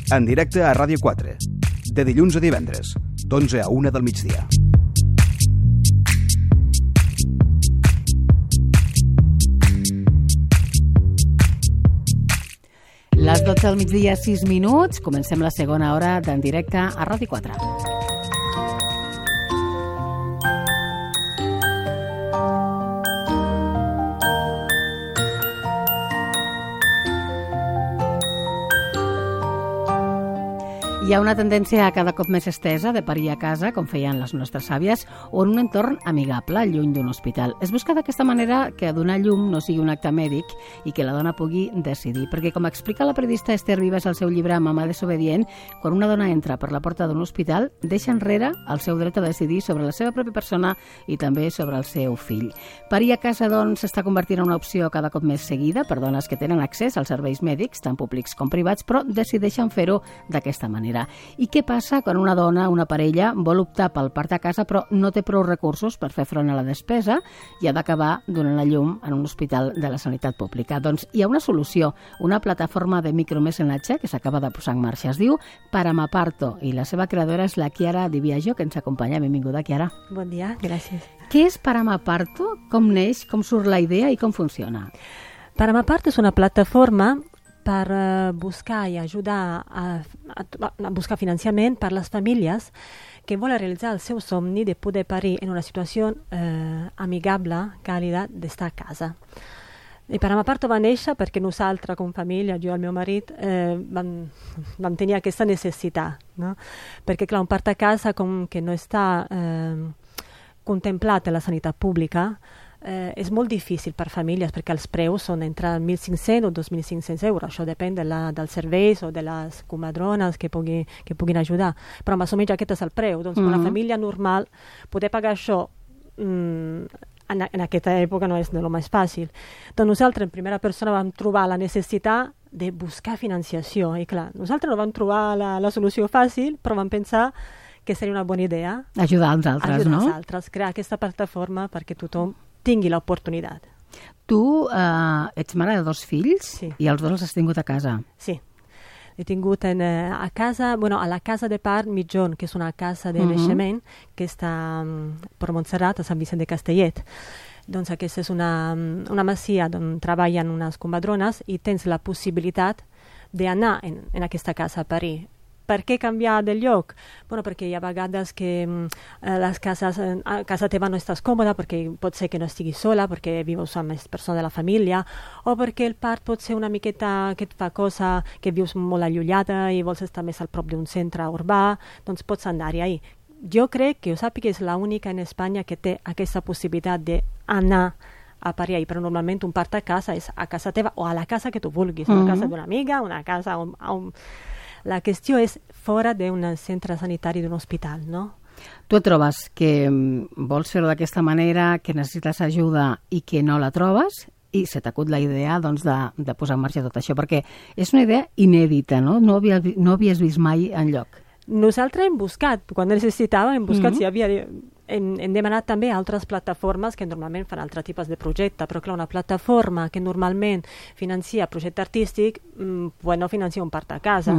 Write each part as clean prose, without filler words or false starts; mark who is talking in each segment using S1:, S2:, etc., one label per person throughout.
S1: En directe a Ràdio 4, de dilluns a divendres, d'11 a 1 del migdia.
S2: Les 12 del migdia, 6 minuts. Comencem la segona hora d'en directe a Ràdio 4. Hi ha una tendència cada cop més estesa de parir a casa, com feien les nostres àvies, o en un entorn amigable, lluny d'un hospital. Es busca d'aquesta manera que donar llum no sigui un acte mèdic i que la dona pugui decidir. Perquè, com explica la periodista Esther Vives al seu llibre Mamà desobedient, quan una dona entra per la porta d'un hospital, deixa enrere el seu dret a decidir sobre la seva pròpia persona i també sobre el seu fill. Parir a casa, doncs, s'està convertint en una opció cada cop més seguida per dones que tenen accés als serveis mèdics, tant públics com privats, però decideixen fer-ho d'aquesta manera. I què passa quan una dona, una parella, vol optar pel part a casa però no té prou recursos per fer front a la despesa i ha d'acabar donant a llum en un hospital de la sanitat pública? Doncs hi ha una solució, una plataforma de micromecenatge que s'acaba de posar en marxa. Es diu Paramaparto i la seva creadora és la Chiara Di Biagio, que ens acompanya. Benvinguda, Chiara.
S3: Bon dia, gràcies.
S2: Què és Paramaparto? Com neix? Com surt la idea i com funciona?
S3: Paramaparto és una plataforma per buscar i ajudar a buscar finançament per les famílies que volen realitzar el seu somni de poder parir en una situació amigable, càlida, d'estar a casa. I Paramaparto va néixer perquè nosaltres, com família, jo i el meu marit, vam tenir aquesta necessitat. No? Perquè, clar, un part a casa com que no està contemplat a la sanitat pública, és molt difícil per famílies perquè els preus són entre 1.500 o 2.500 euros. Això depèn dels serveis o de les comadrones que puguin ajudar. Però més o menys aquest és el preu. Doncs una família normal poder pagar això en aquesta època no és el més fàcil. Doncs nosaltres en primera persona vam trobar la necessitat de buscar financiació. I clar, nosaltres no vam trobar la solució fàcil, però vam pensar que seria una bona idea
S2: ajudar els altres, no?
S3: Ajudar els altres, crear aquesta plataforma perquè tothom tingui l'oportunitat.
S2: Tu ets mare de 2 fills,
S3: sí,
S2: i els 2 els has tingut a casa.
S3: Sí. He tingut a casa, a la casa de part Mitjón, que és una casa de naixement que està per Montserrat, a Sant Vicent de Castellet. Doncs aquesta és una masia on treballen unes comadrones i tens la possibilitat d'anar en aquesta casa a parir. Per què canviar de lloc? Perquè hi ha vegades que a casa teva no estàs còmoda perquè pot ser que no estiguis sola, perquè vius amb més persones de la família, o perquè el part pot ser una miqueta que et fa cosa, que vius molt allunyada i vols estar més al prop d'un centre urbà, doncs pots anar-hi ahí. Jo crec que ho sàpiga és l'única en Espanya que té aquesta possibilitat d'anar a parir ahí, però normalment un part a casa és a casa teva o a la casa que tu vulguis, una casa d'una amiga, una casa on la qüestió és fora d'un centre sanitari, d'un hospital, no?
S2: Tu et trobes que vols fer-ho d'aquesta manera, que necessites ajuda i que no la trobes, i se t'acut la idea doncs, de posar en marxa tot això, perquè és una idea inèdita, no? No havies vist mai enlloc.
S3: Nosaltres hem buscat, quan necessitàvem, hem buscat si hi havia... Hem demanat també altres plataformes que normalment fan altres tipus de projecte, però clar, una plataforma que normalment financia projecte artístic no financia un part a casa.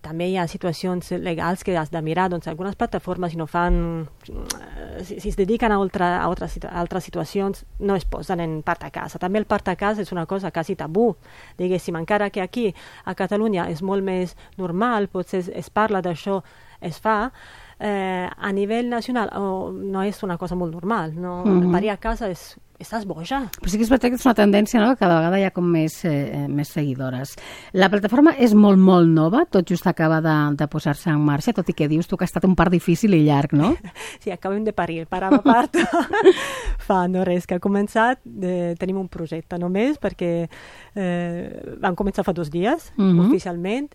S3: També hi ha situacions legals que has de mirar, doncs algunes plataformes si no fan, si es dediquen a altres situacions no es posen en part a casa. També el part a casa és una cosa quasi tabú, diguéssim, encara que aquí a Catalunya és molt més normal, potser es parla d'això, es fa, a nivell nacional no és una cosa molt normal, no? Parir a casa estàs boja.
S2: Però sí que és veritat que és una tendència, no? Que cada vegada hi ha com més seguidores. La plataforma és molt, molt nova, tot just acaba de posar-se en marxa, tot i que dius tu que ha estat un part difícil i llarg, no?
S3: Sí, acabem de parir, Paramaparto. Fa no res, que ha començat, tenim un projecte només, perquè vam començar fa 2 dies, oficialment,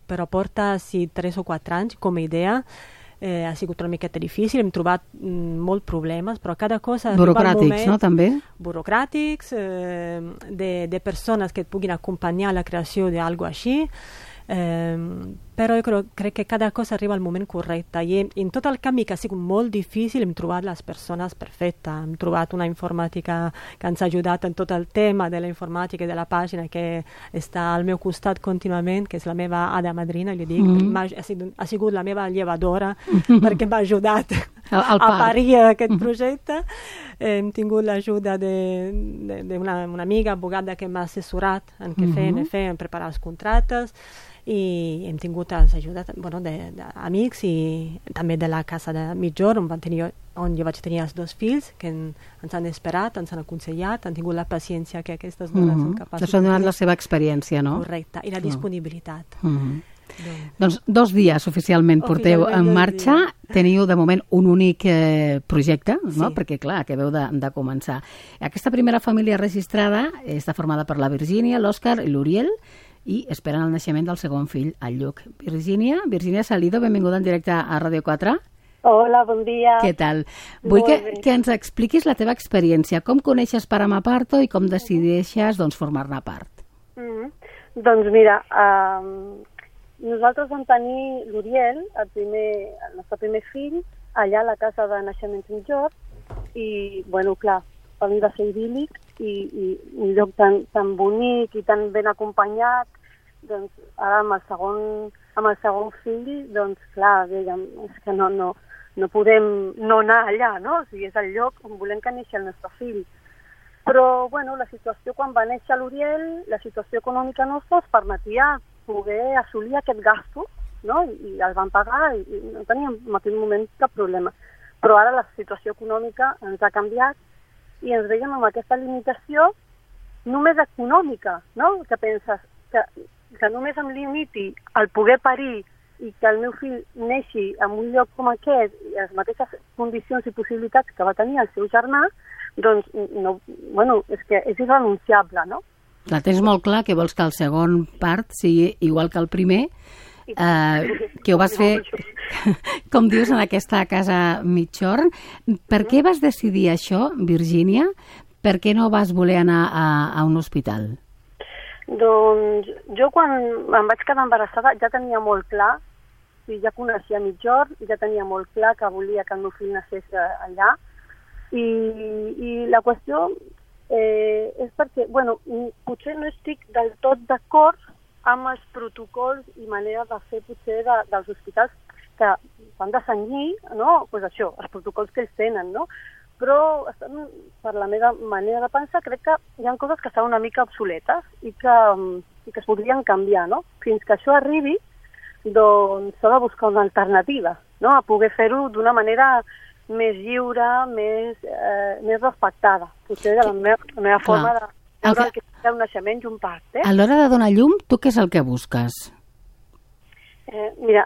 S3: però porta 3 o 4 anys com a idea. Ha sigut una miqueta difícil, hem trobat molts problemes, però cada cosa...
S2: Burocràtics, no, també?
S3: Burocràtics, de persones que et puguin acompanyar a la creació d'algo així, Però jo crec que cada cosa arriba al moment correcte i en tot el canvi que ha sigut molt difícil hem trobat les persones perfectes, hem trobat una informàtica que ens ha ajudat en tot el tema de la informàtica i de la pàgina que està al meu costat contínuament, que és la meva hada madrina, li dic, ha sigut la meva llevadora perquè m'ha ajudat a parir aquest projecte. Hem tingut l'ajuda d'una amiga abogada que m'ha assessorat en què fer, en preparar els contractes, i hem tingut l'ajuda d'amics i també de la casa de Mitjorn on jo vaig tenir els 2 fills que ens han esperat, ens han aconsellat, han tingut la paciència que aquestes dones són capaces.
S2: Això ha donat la seva experiència, no?
S3: Correcte, i la disponibilitat.
S2: Doncs 2 dies oficialment porteu en marxa. Teniu de moment un únic projecte, no? Perquè clar, acabeu de començar. Aquesta primera família registrada està formada per la Virgínia, l'Òscar i l'Uriel, i esperen el naixement del segon fill, el Lluc. Virgínia Salido, benvinguda en directe a Ràdio 4.
S4: Hola, bon dia.
S2: Què tal? Vull que ens expliquis la teva experiència. Com coneixes Paramaparto i com decideixes formar-ne part?
S4: Doncs mira, nosaltres vam tenir l'Uriel, el nostre primer fill, allà a la casa de naixement Sant Jordi, i, bueno, clar, per mi va ser idíl·lic i un lloc tan bonic i tan ben acompanyat. Doncs ara amb el segon fill, doncs clar, dèiem, és que no podem no anar allà, no? O sigui, és el lloc on volem que neixi el nostre fill. Però, bueno, la situació, quan va néixer l'Uriel, la situació econòmica nostra ens permetia poder assolir aquest gasto, no? I el van pagar i no teníem en aquell moment cap problema. Però ara la situació econòmica ens ha canviat i ens veiem amb aquesta limitació només econòmica, no? Que penses que només em limiti al poder parir i que el meu fill neixi en un lloc com aquest i les mateixes condicions i possibilitats que va tenir el seu germà, doncs, no, bueno, és que és irrenunciable, no?
S2: Clar, tens molt clar que vols que el segon part sigui igual que el primer, que ho vas fer, com dius, en aquesta casa Mitjorn. Per què vas decidir això, Virgínia? Per què no vas voler anar a un hospital?
S4: Doncs jo quan em vaig quedar embarassada ja tenia molt clar, i ja coneixia Mitjorn, ja tenia molt clar que volia que el meu fill naixés allà, i la qüestió és perquè, bueno, potser no estic del tot d'acord amb els protocols i manera de fer potser dels hospitals que s'han de cenyir, no? Pues això, els protocols que ells tenen, no? Però per la meva manera de pensar crec que hi ha coses que estan una mica obsoletes i que es podrien canviar, no? Fins que això arribi, doncs s'ha de buscar una alternativa, no? A poder fer-ho d'una manera més lliure, més respectada. Potser de la meva forma de veure el que és un naixement i un part.
S2: A l'hora de donar llum, tu què és el que busques?
S4: Mira,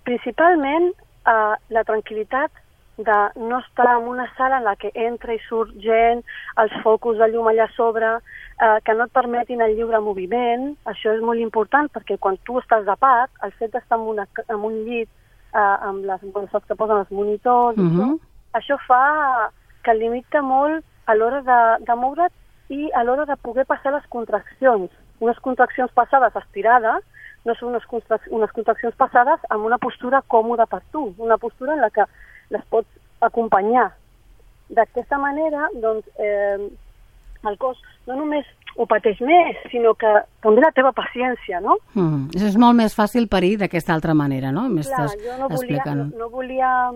S4: principalment la tranquil·litat de no estar en una sala en la que entra i surt gent, els focus de llum allà a sobre, que no et permetin el lliure moviment. Això és molt important perquè quan tu estàs de part, el fet d'estar en un llit amb les saps que posen els monitors, això fa que limita molt a l'hora de moure't i a l'hora de poder passar les contraccions. Unes contraccions passades estirades no són unes contraccions passades amb una postura còmoda per tu, una postura en la que les pots acompanyar. D'aquesta manera, doncs, el cos no només ho pateix més, sinó que també la teva paciència, no?
S2: És molt més fàcil parir d'aquesta altra manera, no?
S4: Clar, jo no volia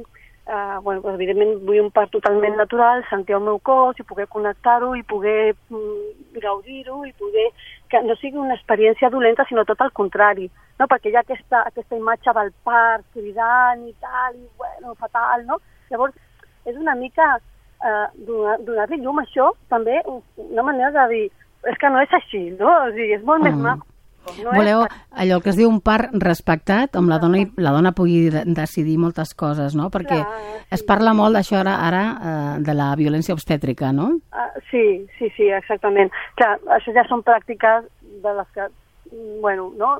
S4: bueno, evidentment vull un part totalment natural, sentir el meu cos i poder connectar-ho i poder gaudir-ho i poder que no sigui una experiència dolenta, sinó tot el contrari, no? Perquè hi ha aquesta imatge del part cridant i tal, i bueno, fatal, no? Llavors, és una mica donar-li llum a això, també una manera de dir, és que no és així, no? O sigui, és molt més maco. No
S2: voleu allò que es diu un part respectat, on la dona pugui decidir moltes coses, no? Perquè es parla molt d'això ara de la violència obstètrica, no?
S4: Sí, exactament. Clar, això ja són pràctiques de les que, bueno, no?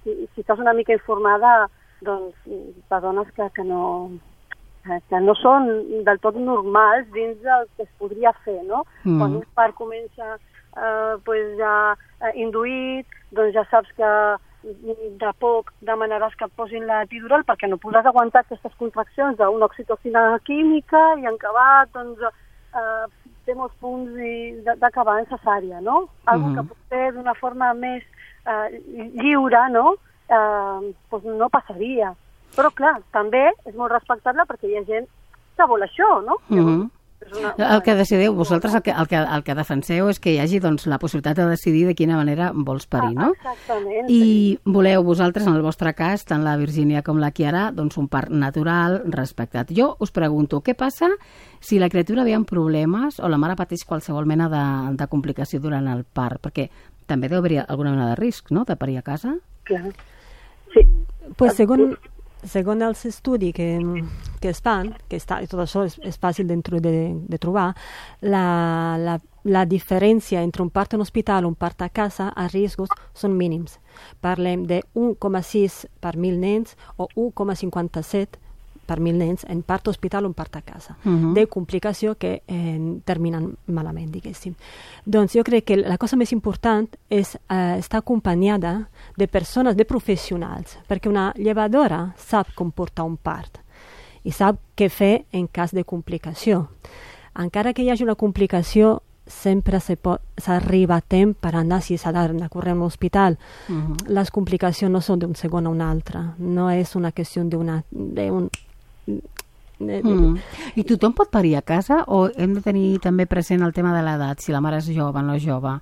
S4: Si estàs una mica informada, doncs, de dones que no són del tot normals dins del que es podria fer, no? Quan un part comença pues ja induït, doncs ja saps que de poc demanaràs que et posin l'epidural perquè no podràs aguantar aquestes contraccions d'una oxitocina química i en acabat, doncs, té molts punts d'acabar en cesària, no? Algo que potser d'una forma més lliure, no? Doncs no passaria. Però, clar, també és molt respectable perquè hi ha gent que vol això, no?
S2: El que decideu, vosaltres el que defenseu és que hi hagi doncs, la possibilitat de decidir de quina manera vols parir, no?
S4: Exactament.
S2: I voleu vosaltres, en el vostre cas, tant la Virgínia com la Chiara, doncs un part natural, respectat. Jo us pregunto, què passa si la criatura ve amb problemes o la mare pateix qualsevol mena de complicació durant el part? Perquè també deu haver alguna mena de risc, no?, de parir a casa?
S4: Clar. Sí.
S3: Pues segons els estudis que es fan, tot això és fàcil de trobar, la diferència entre un part en hospital i un part a casa a riscos són mínims. Parlem de 1,6 per 1.000 nens o 1,57 per 1.000 nens en part hospital o en part a casa, de complicació que terminen malament, diguéssim. Doncs jo crec que la cosa més important és estar acompanyada de persones, de professionals, perquè una llevadora sap com portar un part i sap què fer en cas de complicació. Encara que hi hagi una complicació, sempre s'arriba a temps per anar, si s'ha d'anar a córrer a un hospital. Les complicacions no són d'un segon a un altre, no és una qüestió
S2: I tothom pot parir a casa o hem de tenir també present el tema de l'edat, si la mare és jove o no jove?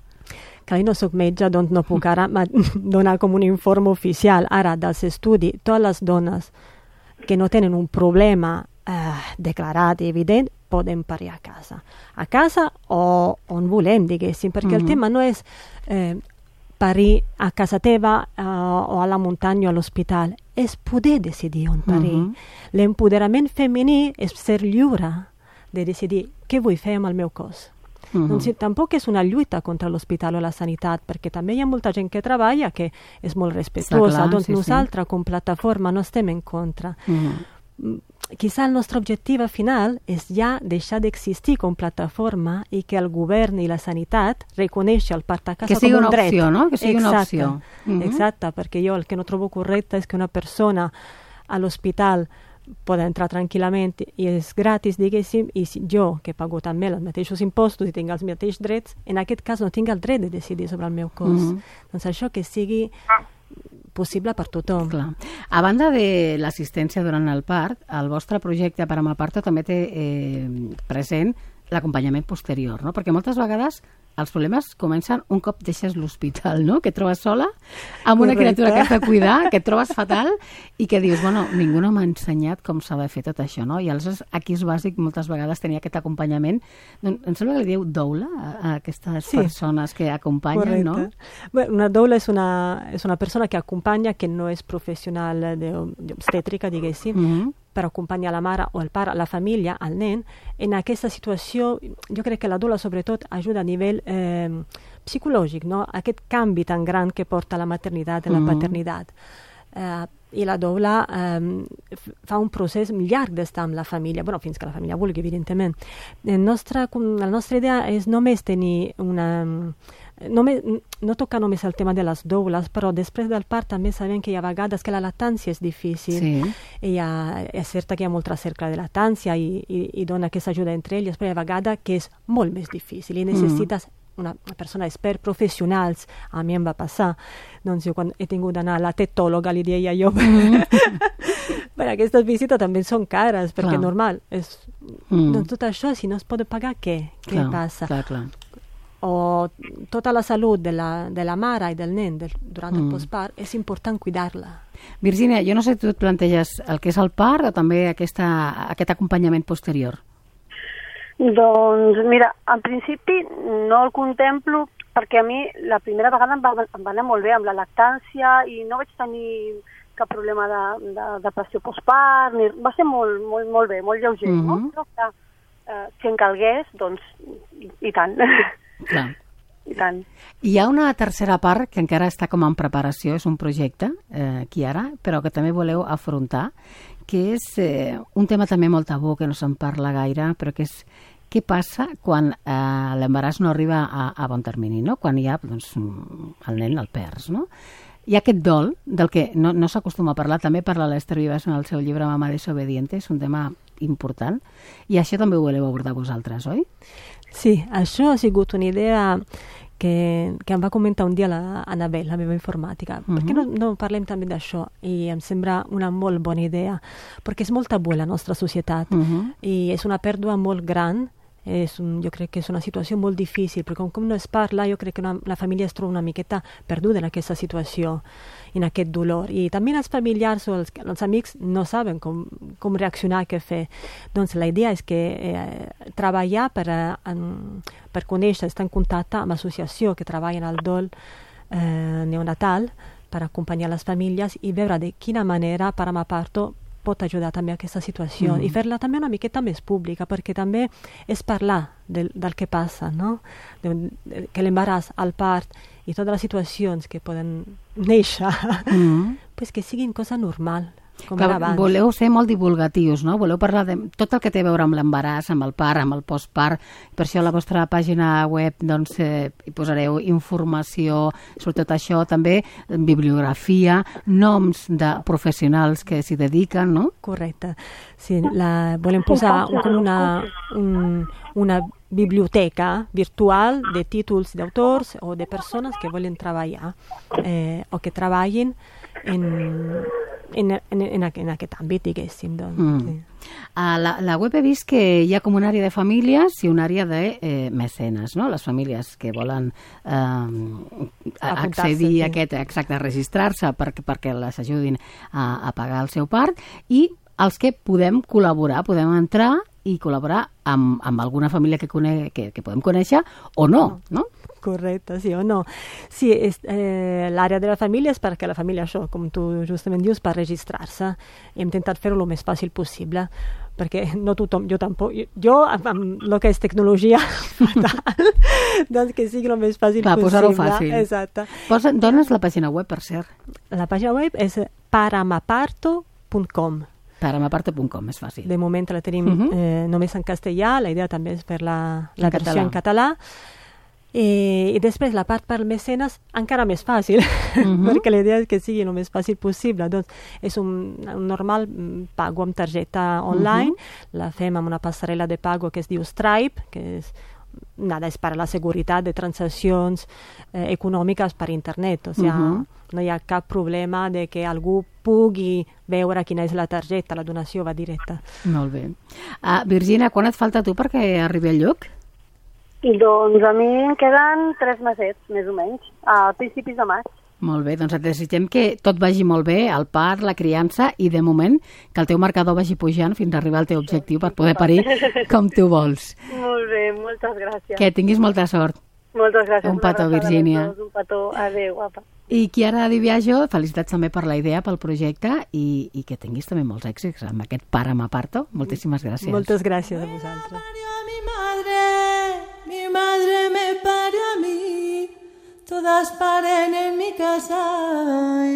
S3: Clar, no soc metge, doncs no puc ara donar com un informe oficial. Ara, dels estudis, totes les dones que no tenen un problema declarat i evident poden parir a casa o on volem, diguéssim, perquè el tema no és parir a casa teva o a la muntanya o a l'hospital, és poder decidir on parir. L'empoderament femení és ser lliure de decidir què vull fer amb el meu cos. Doncs tampoc és una lluita contra l'hospital o la sanitat, perquè també hi ha molta gent que treballa que és molt respectuosa. Doncs nosaltres, com plataforma, no estem en contra. Quizá el nostre objectiu final és ja deixar d'existir com plataforma i que el govern i la sanitat reconeixi el part a casa com un dret.
S2: Que sigui una opció, no? Que sigui una opció.
S3: Exacte, perquè jo el que no trobo correcte és que una persona a l'hospital pot entrar tranquil·lament i és gratis, diguéssim, i jo, que pago també els mateixos impostos i tinc els mateixos drets, en aquest cas no tinc el dret de decidir sobre el meu cos. Doncs això que sigui possible per tothom.
S2: Clar. A banda de l'assistència durant el part, el vostre projecte per amb el parto també té present l'acompanyament posterior, no? Perquè moltes vegades els problemes comencen un cop deixes l'hospital, no? Que et trobes sola amb una criatura que has de cuidar, que et trobes fatal i que dius, bueno, ningú no m'ha ensenyat com s'ha de fer tot això, no? I aleshores aquí és bàsic moltes vegades tenir aquest acompanyament. Doncs em sembla que li diu doula a aquestes persones que acompanyen, no?
S3: Bueno, una doula és una persona que acompanya, que no és professional d'obstètrica, diguéssim, per acompanyar la mare o el pare, la família, el nen. En aquesta situació, jo crec que la doula sobretot ajuda a nivell psicològic, no? Aquest canvi tan gran que porta la maternitat i la paternitat. I la doula fa un procés llarg d'estar amb la família, bueno, fins que la família vulgui, evidentment. La nostra idea és només tenir no tocar només el tema de les doules, però després del part també sabem que hi ha vegades que la lactància és difícil. És cert que hi ha molt cercle de lactància i dona aquesta ajuda entre elles, però hi ha vegades que és molt més difícil i necessites una persona expert, professionals. A mi em va passar. Doncs jo quan he tingut d'anar a la tetòloga, li deia jo, però aquestes visites també són cares, perquè normal. Doncs tot això, si no es pot pagar, què passa?
S2: Clar.
S3: O tota la salut de la mare i del nen durant el postpart, és important cuidar-la.
S2: Virgínia, jo no sé si tu et planteges el que és el part o també aquest acompanyament posterior.
S4: Doncs mira, en principi no el contemplo perquè a mi la primera vegada em va anar molt bé amb la lactància i no vaig tenir cap problema de pressió postpart, va ser molt bé, molt lleuger, no? Però clar, si en calgués, doncs i tant.
S2: Clar.
S4: I tant.
S2: Hi ha una tercera part que encara està com en preparació, és un projecte, Chiara, però que també voleu afrontar, que és un tema també molt tabú, que no se'n parla gaire, però que és què passa quan l'embaràs no arriba a bon termini, no? Quan hi ha doncs, el nen el perds, no? Hi ha aquest dol del que no s'acostuma a parlar, també parla l'Ester Vives en el seu llibre Mamá desobediente, és un tema important, i això també ho voleu abordar vosaltres, oi?
S3: Sí, això ha sigut una idea que em va comentar un dia l'Anabel, la meva informàtica. Per què no parlem també d'això? I em sembla una molt bona idea, perquè és molt tabú a la nostra societat i és una pèrdua molt gran. Jo crec que és una situació molt difícil, perquè com no es parla, jo crec que la família es troba una miqueta perduda en aquesta situació, en aquest dolor. I també els familiars o els amics no saben com reaccionar, què fer. Doncs la idea és que treballar per conèixer, estar en contacte amb l'associació que treballa en el dol neonatal per acompanyar les famílies i veure de quina manera Paramaparto pot ajudar també a aquesta situació i fer-la també una miqueta més pública, perquè també és parlar del que passa, no? Que l'embaràs, el part i totes les situacions que poden néixer, pues que siguin cosa normal, com era abans.
S2: Voleu ser molt divulgatius, no? Voleu parlar de tot el que té a veure amb l'embaràs, amb el part, amb el postpart. Per això a la vostra pàgina web doncs, hi posareu informació sobre tot això, també bibliografia, noms de professionals que s'hi dediquen, no?
S3: Correcte. Sí, volem posar una biblioteca virtual de títols d'autors o de persones que volen treballar o que treballin en aquest àmbit, diguéssim. Doncs, sí.
S2: A la web he vist que hi ha com una àrea de famílies i una àrea de mecenes, no? Les famílies que volen accedir a aquest, exacte, a registrar-se perquè les ajudin a pagar el seu part, i els que podem col·laborar, podem entrar i col·laborar amb alguna família que podem conèixer o no, no?
S3: Correcte, sí o no. Sí, l'àrea de la família és perquè la família, això, com tu justament dius, per registrar-se. Hem intentat fer-ho el més fàcil possible, perquè no tothom, jo tampoc, jo amb el que és tecnologia, doncs que sigui el més fàcil possible.
S2: Posar-ho fàcil.
S3: Exacte.
S2: Dones la pàgina web, per cert.
S3: La pàgina web és paramaparto.com.
S2: Paramaparto.com, és fàcil.
S3: De moment la tenim només en castellà, la idea també és fer la versió en català. I després la part per mecenes encara més fàcil, perquè la idea és que sigui el més fàcil possible. Doncs és un normal pago amb targeta online, la fem amb una passarel·la de pago que es diu Stripe, que és per la seguretat de transaccions econòmiques per internet. O sigui, no hi ha cap problema de que algú pugui veure quina és la targeta, la donació va directa.
S2: Molt bé. Virginia, quan et falta tu perquè arribi al lloc?
S4: Doncs a mi em queden 3 mesets, més o menys, a principis de maig.
S2: Molt bé, doncs et desitgem que tot vagi molt bé, el part, la criança, i de moment que el teu marcador vagi pujant fins a arribar al teu objectiu per poder parir com tu vols.
S4: Molt bé, moltes gràcies.
S2: Que tinguis molta sort.
S4: Moltes gràcies.
S2: Un petó, Virginia.
S4: Un petó, adéu, guapa.
S2: I Chiara Di Biagio, felicitats també per la idea, pel projecte, i que tinguis també molts èxits amb aquest Paramaparto. Moltíssimes gràcies.
S3: Moltes gràcies a vosaltres.
S5: Mi madre me parió a mí, todas paren en mi casa,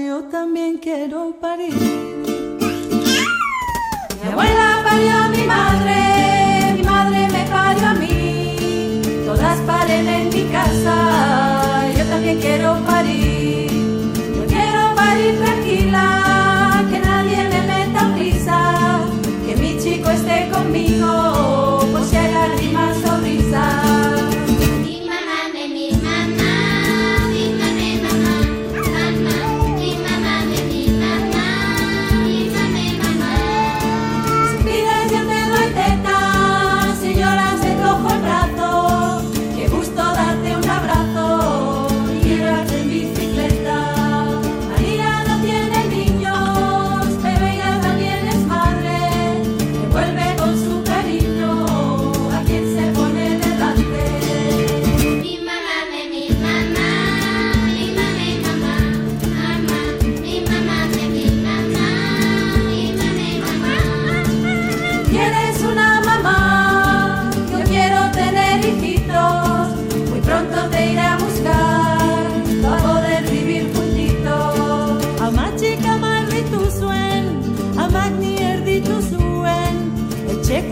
S5: yo también quiero parir. Mi abuela parió a mi madre me parió a mí, todas paren en mi casa, yo también quiero parir. Yo quiero parir tranquila, que nadie me meta prisa, que mi chico esté conmigo, pues si hay lágrimas o risas.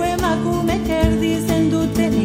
S5: Emakume erdizenduten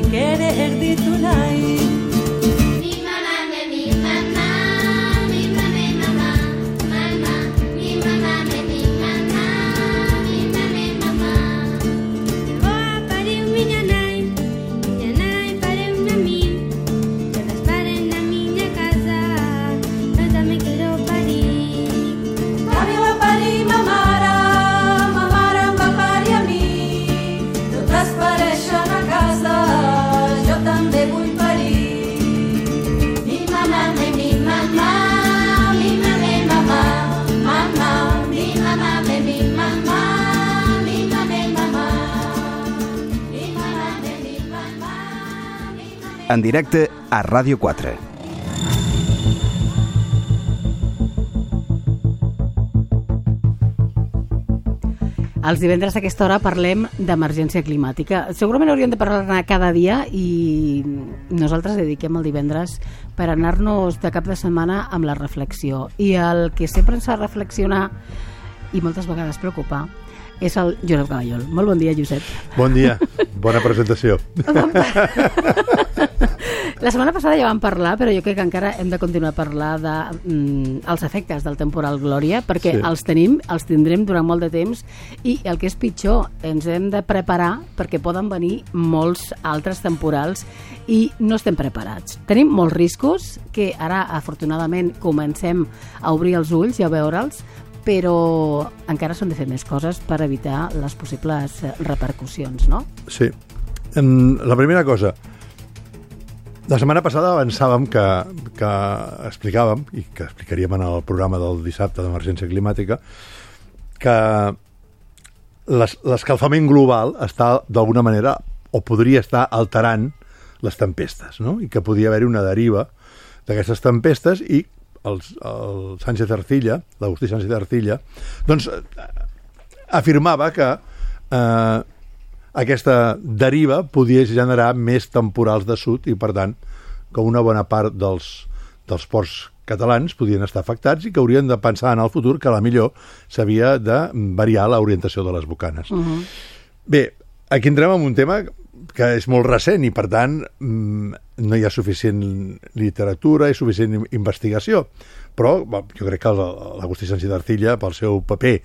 S1: en directe a Ràdio 4.
S2: Els divendres a aquesta hora parlem d'emergència climàtica. Segurament hauríem de parlar-ne cada dia i nosaltres dediquem el divendres per anar-nos de cap de setmana amb la reflexió. I el que sempre ens fa reflexionar i moltes vegades preocupar és el Josep Caballol. Molt bon dia, Josep.
S6: Bon dia, bona presentació.
S2: La setmana passada ja vam parlar, però jo crec que encara hem de continuar a parlar dels efectes del temporal Glòria, perquè sí, els tindrem durant molt de temps i el que és pitjor, ens hem de preparar perquè poden venir molts altres temporals i no estem preparats. Tenim molts riscos que ara, afortunadament, comencem a obrir els ulls i a veure'ls, però encara s'han de fer més coses per evitar les possibles repercussions, no?
S6: Sí. La primera cosa, la setmana passada avançàvem que explicàvem, i que explicaríem en el programa del dissabte d'emergència climàtica, que l'escalfament global està d'alguna manera, o podria estar alterant les tempestes, no? I que podia haver-hi una deriva d'aquestes tempestes i el Sánchez Arcilla, l'Agustí Sánchez Arcilla, doncs afirmava que aquesta deriva podia generar més temporals de sud i, per tant, que una bona part dels ports catalans podien estar afectats i que haurien de pensar en el futur que a la millor s'havia de variar l'orientació de les bocanes. Bé, aquí entrem en un tema que és molt recent i, per tant, no hi ha suficient literatura i suficient investigació. Però jo crec que l'Agustí Sánchez Arcilla, pel seu paper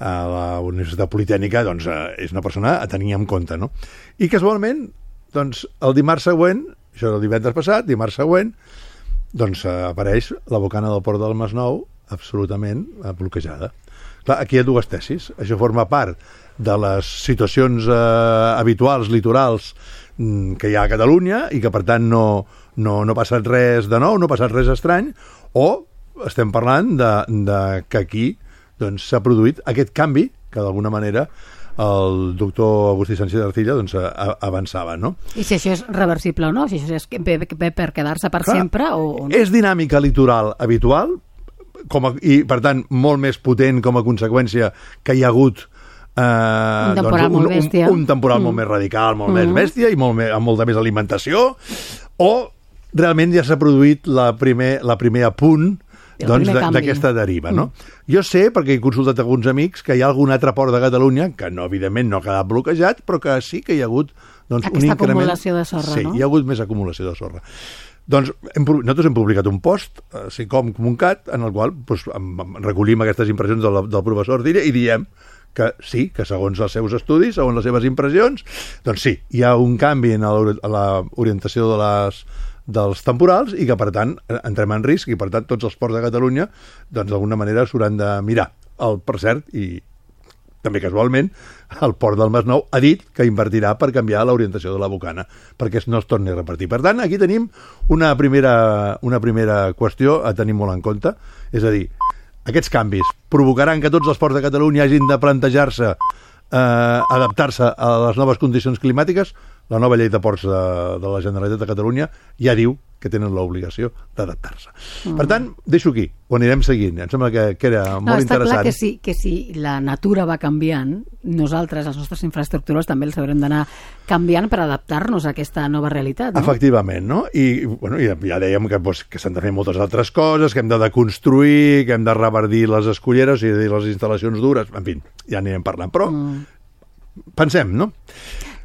S6: a la Universitat Politècnica, doncs, és una persona a tenir en compte, no? I casualment, doncs, el dimarts següent, això era el divendres passat, dimarts següent, doncs apareix la bocana del port del Masnou absolutament bloquejada. Clar, aquí hi ha dues tesis. Això forma part de les situacions habituals, litorals, que hi ha a Catalunya i que, per tant, no ha passat res de nou, no ha passat res estrany, o estem parlant de que aquí doncs, s'ha produït aquest canvi que, d'alguna manera, el doctor Agustí Sánchez Arcilla doncs, avançava, no?
S2: I si això és reversible o no? Si això és per quedar-se per sempre o no?
S6: És dinàmica litoral habitual i, per tant, molt més potent com a conseqüència que hi ha hagut
S2: un temporal molt bèstia.
S6: Un temporal molt més radical, molt més bèstia i amb molta més alimentació, o realment ja s'ha produït la primer apunt d'aquesta deriva, no? Jo sé, perquè he consultat alguns amics, que hi ha algun altre port de Catalunya que evidentment no ha quedat bloquejat, però que sí que hi ha hagut un increment.
S2: Aquesta acumulació de sorra,
S6: sí,
S2: no?
S6: Hi ha hagut més acumulació de sorra. Doncs nosaltres hem publicat un post, SICOM-COMUNCAT, en el qual recollim aquestes impressions del professor Arcilla i diem que sí, que segons els seus estudis, segons les seves impressions, doncs sí, hi ha un canvi en l'orientació dels temporals i que, per tant, entrem en risc i, per tant, tots els ports de Catalunya, doncs, d'alguna manera s'hauran de mirar. Per cert, i també casualment, el port del Masnou ha dit que invertirà per canviar l'orientació de la bocana, perquè no es torni a repartir. Per tant, aquí tenim una primera qüestió a tenir molt en compte, és a dir, aquests canvis provocaran que tots els ports de Catalunya hagin de plantejar-se adaptar-se a les noves condicions climàtiques. La nova llei de ports de la Generalitat de Catalunya ja diu que tenen l'obligació d'adaptar-se. Per tant, deixo aquí, ho anirem seguint. Em sembla que era molt interessant.
S2: Està clar que si la natura va canviant, nosaltres, les nostres infraestructures, també els haurem d'anar canviant per adaptar-nos a aquesta nova realitat, no?
S6: Efectivament, no? I ja dèiem que s'han de fer moltes altres coses, que hem de deconstruir, que hem de revertir les esculleres i les instal·lacions dures, en fi, ja anirem parlant. Però pensem, no?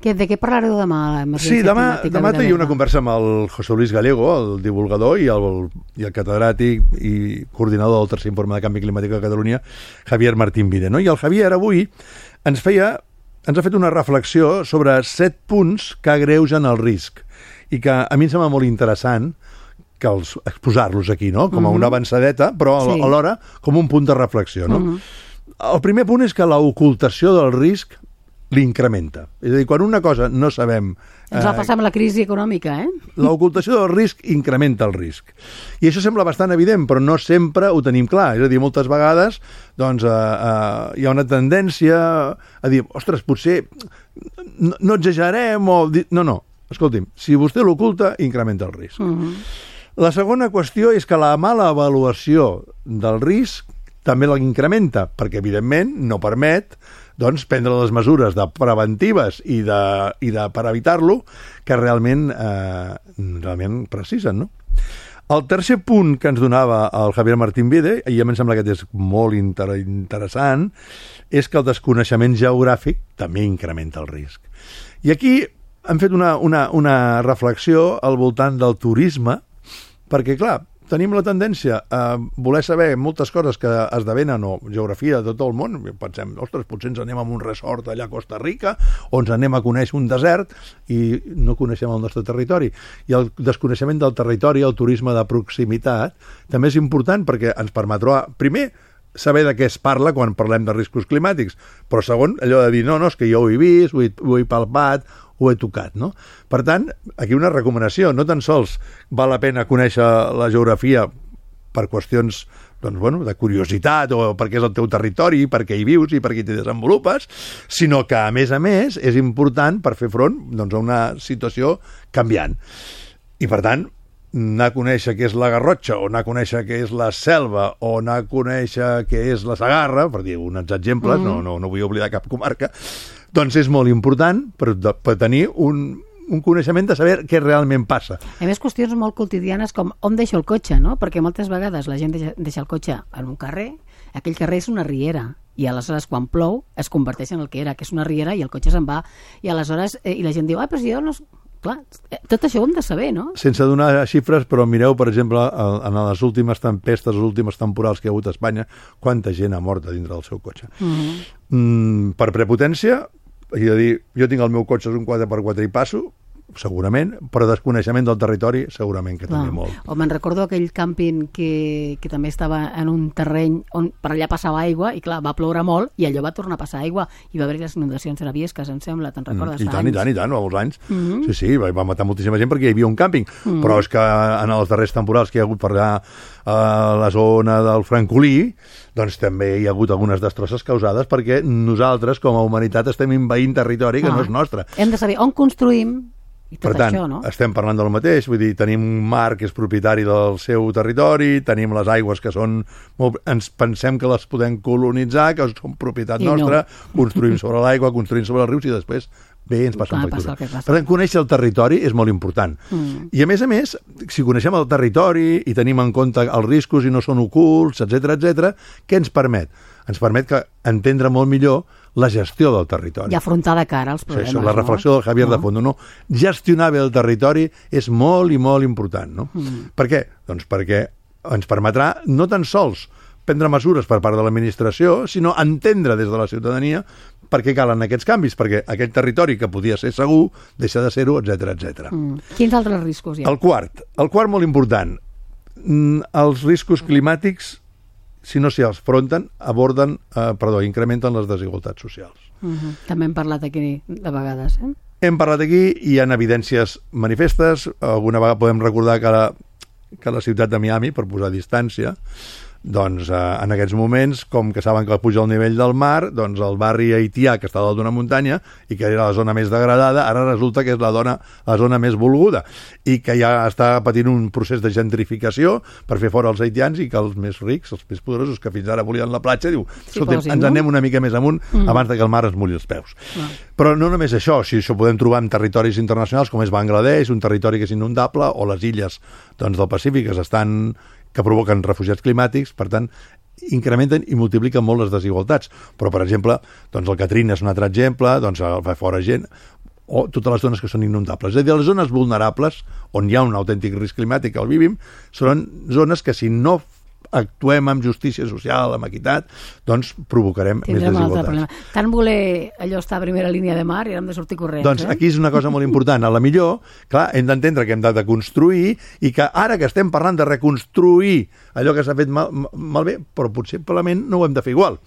S2: De què parlareu demà?
S6: Sí, demà hi ha una conversa amb el José Luis Gallego, el divulgador i el catedràtic i coordinador del tercer informe de canvi climàtic de Catalunya, Javier Martín Vide, no? I el Javier avui ens ha fet una reflexió sobre 7 punts que agreugen el risc i que a mi em sembla molt interessant que exposar-los aquí, no? Com a una avançadeta, però alhora com un punt de reflexió, no? El primer punt és que l'ocultació del risc l'incrementa. És a dir, quan una cosa no sabem...
S2: Ens va passar amb la crisi econòmica,
S6: L'ocultació del risc incrementa el risc. I això sembla bastant evident, però no sempre ho tenim clar. És a dir, moltes vegades doncs, hi ha una tendència a dir, ostres, potser no exagerem o... No. escolti'm, si vostè l'oculta, incrementa el risc. La segona qüestió és que la mala avaluació del risc també l'incrementa, perquè, evidentment, no permet prendre les mesures preventives i per evitar-lo que realment precisen, no? El tercer punt que ens donava el Javier Martín Vide, i a mi em sembla que és molt interessant, és que el desconeixement geogràfic també incrementa el risc. I aquí hem fet una reflexió al voltant del turisme, perquè, clar, tenim la tendència a voler saber moltes coses que esdevenen o geografia de tot el món. Pensem, ostres, potser ens anem a un resort allà a Costa Rica o ens anem a conèixer un desert i no coneixem el nostre territori. I el desconeixement del territori, el turisme de proximitat, també és important perquè ens permetrà, primer, saber de què es parla quan parlem de riscos climàtics, però segon, allò de dir, no, és que jo ho he vist, ho he palpat, ho he tocat, no? Per tant, aquí una recomanació, no tan sols val la pena conèixer la geografia per qüestions de curiositat o perquè és el teu territori, perquè hi vius i perquè t'hi desenvolupes, sinó que, a més, és important per fer front a una situació canviant. I, per tant, anar a conèixer què és la Garrotxa, o anar a conèixer què és la Selva, o anar a conèixer què és la Segarra, per dir uns exemples, no vull oblidar cap comarca, doncs és molt important per tenir un coneixement de saber què realment passa.
S2: A més, qüestions molt quotidianes com on deixo el cotxe, no? Perquè moltes vegades la gent deixa el cotxe en un carrer, aquell carrer és una riera, i aleshores quan plou es converteix en el que era, que és una riera, i el cotxe se'n va, i aleshores i la gent diu, però si jo no... Clar, tot això ho hem de saber, no?
S6: Sense donar xifres, però mireu, per exemple, en les últimes tempestes, les últimes temporals que hi ha hagut a Espanya, quanta gent ha mort a dintre del seu cotxe. Per prepotència, jo tinc el meu cotxe, és un 4x4 i passo, segurament, però desconeixement del territori segurament que també molt.
S2: O me'n recordo aquell càmping que també estava en un terreny on per allà passava aigua i clar, va ploure molt i allò va tornar a passar aigua i va haver les inundacions a Viescas, em sembla, te'n recordes?
S6: I tant, molts anys. Sí, va matar moltíssima gent perquè hi havia un càmping, però és que en els darrers temporals que hi ha hagut per allà a la zona del Francolí, doncs també hi ha hagut algunes destrosses causades perquè nosaltres, com a humanitat, estem envaint territori que no és nostre.
S2: Hem de saber on construïm.
S6: Per tant, estem parlant del mateix, vull dir, tenim un mar que és propietari del seu territori, tenim les aigües que són... Ens pensem que les podem colonitzar, que són propietat nostra, construïm sobre l'aigua, construïm sobre els rius i després ens passa factura. Per tant, conèixer el territori és molt important. I a més, si coneixem el territori i tenim en compte els riscos i no són ocults, etc, què ens permet? Ens permet entendre molt millor la gestió del territori.
S2: I afrontar de cara els problemes.
S6: La reflexió del Javier de Fondo. Gestionar bé el territori és molt i molt important. No? Per què? Doncs perquè ens permetrà no tan sols prendre mesures per part de l'administració, sinó entendre des de la ciutadania per què calen aquests canvis, perquè aquest territori que podia ser segur deixa de ser-ho, etc.
S2: Quins altres riscos hi ha?
S6: El quart molt important. Els riscos climàtics, si no s'hi afronten, incrementen les desigualtats socials.
S2: També hem parlat aquí de vegades.
S6: Hem parlat aquí, hi ha evidències manifestes, alguna vegada podem recordar que la ciutat de Miami, per posar distància, doncs en aquests moments, com que saben que puja el nivell del mar, doncs el barri haitià, que està dalt d'una muntanya i que era la zona més degradada, ara resulta que és la zona més volguda i que ja està patint un procés de gentrificació per fer fora els haitians i que els més rics, els més poderosos, que fins ara volien la platja, diu, escolta'm, ens anem una mica més amunt abans que el mar es mulli els peus. Però no només això, si això podem trobar en territoris internacionals com és Bangladesh, un territori que és inundable, o les illes del Pacífic que provoquen refugiats climàtics, per tant, incrementen i multipliquen molt les desigualtats. Però, per exemple, doncs el Katrina és un altre exemple, doncs fa fora gent, o totes les zones que són inundables. És a dir, les zones vulnerables, on hi ha un autèntic risc climàtic que el vivim, són zones que si no actuem amb justícia social, amb equitat, doncs provocarem més desigualtats.
S2: Tant voler allò estar a primera línia de mar i hem de sortir corrents.
S6: Doncs aquí és una cosa molt important. A la millor, clar, hem d'entendre que hem de construir i que ara que estem parlant de reconstruir allò que s'ha fet malbé, però possiblement no ho hem de fer igual.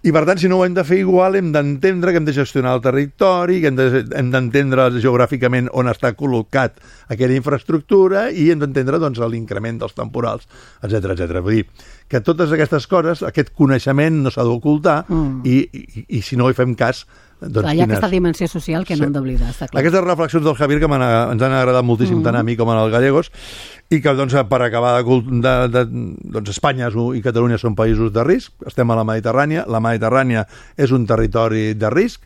S6: I per tant, si no ho hem de fer igual, hem d'entendre que hem de gestionar el territori, que hem d'entendre geogràficament on està col·locat aquella infraestructura i hem d'entendre doncs, l'increment dels temporals, etc. Vull dir, dir, que totes aquestes coses, aquest coneixement no s'ha d'ocultar i si no hi fem cas...
S2: Doncs hi ha aquesta dimensió social que no hem d'oblidar, està clar.
S6: Aquestes reflexions del Javier que ens han agradat moltíssim tant a mi com als gallegos i que doncs, per acabar doncs Espanya i Catalunya són països de risc, estem a la Mediterrània és un territori de risc,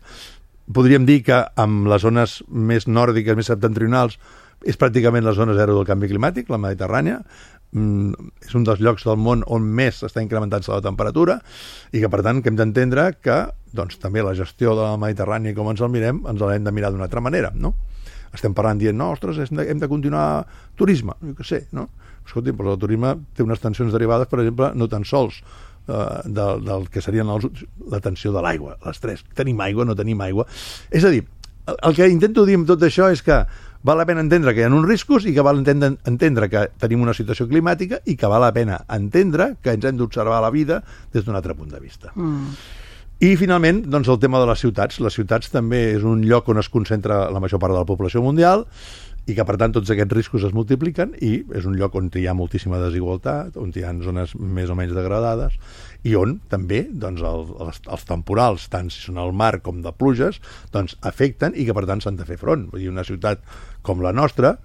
S6: podríem dir que amb les zones més nòrdiques, més septentrionals, és pràcticament la zona zero del canvi climàtic, la Mediterrània, és un dels llocs del món on més està incrementant-se la temperatura i que per tant que hem d'entendre que doncs, també la gestió de la Mediterrània com ens el mirem, ens l'hem de mirar d'una altra manera, no? Estem parlant dient, no, ostres, hem de continuar turisme, jo què sé, no? Escolti, però el turisme té unes tensions derivades, per exemple, no tan sols del que serien la tensió de l'aigua, l'estrès, tenim aigua, no tenim aigua, és a dir, el que intento dir amb tot això és que val la pena entendre que hi ha uns riscos i que val entendre que tenim una situació climàtica i que val la pena entendre que ens hem d'observar la vida des d'un altre punt de vista. I finalment, doncs, el tema de les ciutats. Les ciutats també és un lloc on es concentra la major part de la població mundial i que, per tant, tots aquests riscos es multipliquen i és un lloc on hi ha moltíssima desigualtat, on hi ha zones més o menys degradades i on també doncs, els temporals, tant si són al mar com de pluges, doncs afecten i que, per tant, s'han de fer front. Vull dir, una ciutat com la nostra,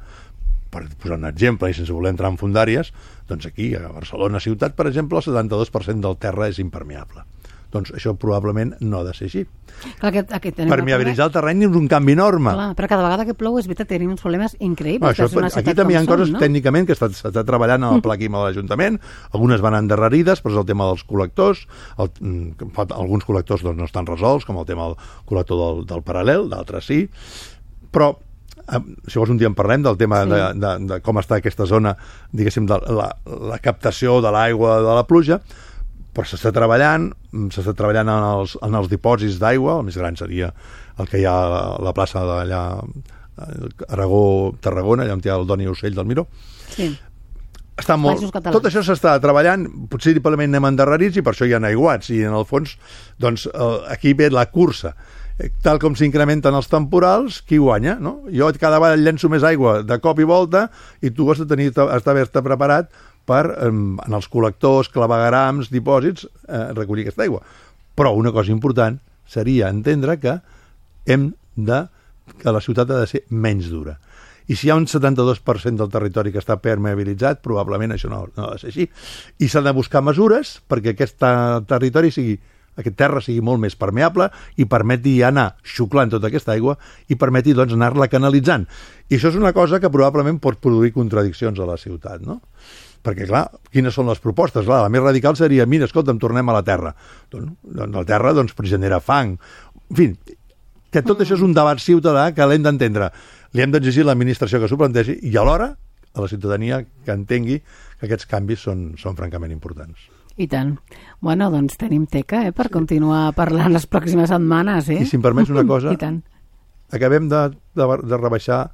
S6: per posar un exemple i sense voler entrar en fondàries, doncs aquí, a Barcelona ciutat, per exemple, el 72% del terra és impermeable. Doncs això probablement no ha de ser així.
S2: Clar,
S6: permeabilitzar el terreny és un canvi enorme.
S2: Clar, però cada vegada que plou és veritat, tenim uns problemes increïbles.
S6: Aquí també hi ha coses tècnicament que s'està treballant en el pla químic de l'Ajuntament, algunes van endarrerides, però és el tema dels col·lectors, alguns col·lectors doncs, no estan resolts, com el tema del col·lector del paral·lel, d'altres sí, però si vols un dia en parlem del tema de com està aquesta zona, diguéssim, de la captació de l'aigua de la pluja, però s'està treballant en els dipòsits d'aigua, el més gran seria el que hi ha a la plaça d'allà Aragó-Tarragona, allà on hi ha el Doni Ocell del Miró.
S2: Sí.
S6: Tot això s'està treballant, potser simplement anem endarrerits i per això hi ha aiguats, i en el fons doncs, aquí ve la cursa. Tal com s'incrementen els temporals, qui guanya, no? Jo cada vegada llenço més aigua de cop i volta i tu has d'haver-te preparat per, en els col·lectors, claveguerams, dipòsits, recollir aquesta aigua. Però una cosa important seria entendre que la ciutat ha de ser menys dura. I si hi ha un 72% del territori que està permeabilitzat, probablement això no ha de ser així. I s'han de buscar mesures perquè aquest territori aquest terra sigui molt més permeable i permeti anar xuclant tota aquesta aigua i permeti doncs, anar-la canalitzant. I això és una cosa que probablement pot produir contradiccions a la ciutat, no? Perquè, clar, quines són les propostes? Clar, la més radical seria, mira, escolta'm, tornem a la terra. Doncs la terra genera fang. En fi, que tot això és un debat ciutadà que l'hem d'entendre. Li hem d'exigir a l'administració que s'ho plantegi i alhora a la ciutadania que entengui que aquests canvis són francament importants.
S2: I tant. Bueno, doncs tenim teca per continuar parlant les pròximes setmanes.
S6: I si em permets una cosa, acabem de rebaixar,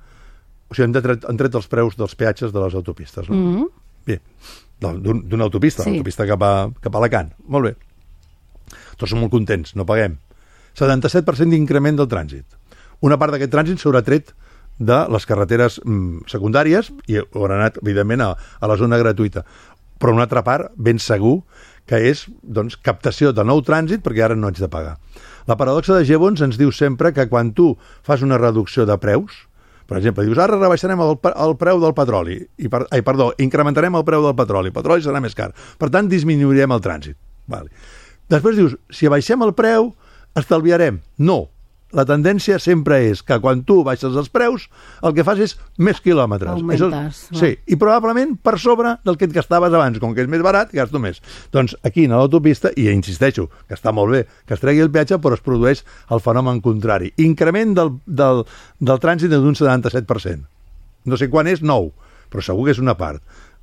S6: o sigui, han tret els preus dels peatges de les autopistes, no? Bé, d'una autopista, l'autopista cap a Alacant. Molt bé. Tots som molt contents, no paguem. 77% d'increment del trànsit. Una part d'aquest trànsit s'haurà tret de les carreteres secundàries i haurà anat, evidentment, a la zona gratuïta. Però una altra part, ben segur, que és doncs, captació de nou trànsit perquè ara no ets de pagar. La paradoxa de Gibbons ens diu sempre que quan tu fas una reducció de preus, per exemple, dius, ara rebaixarem el preu del petroli, incrementarem el preu del petroli serà més car, per tant disminuirem el trànsit. Vale. Després dius, si abaixem el preu, estalviarem. No. La tendència sempre és que quan tu baixes els preus, el que fas és més quilòmetres.
S2: Augmentes.
S6: Sí, i probablement per sobre del que et gastaves abans. Com que és més barat, gasto més. Doncs aquí, a l'autopista, i insisteixo, que està molt bé que es tregui el peatge, però es produeix el fenomen contrari. Increment del trànsit d'un 77%. No sé quan és, 9, però segur que és una part.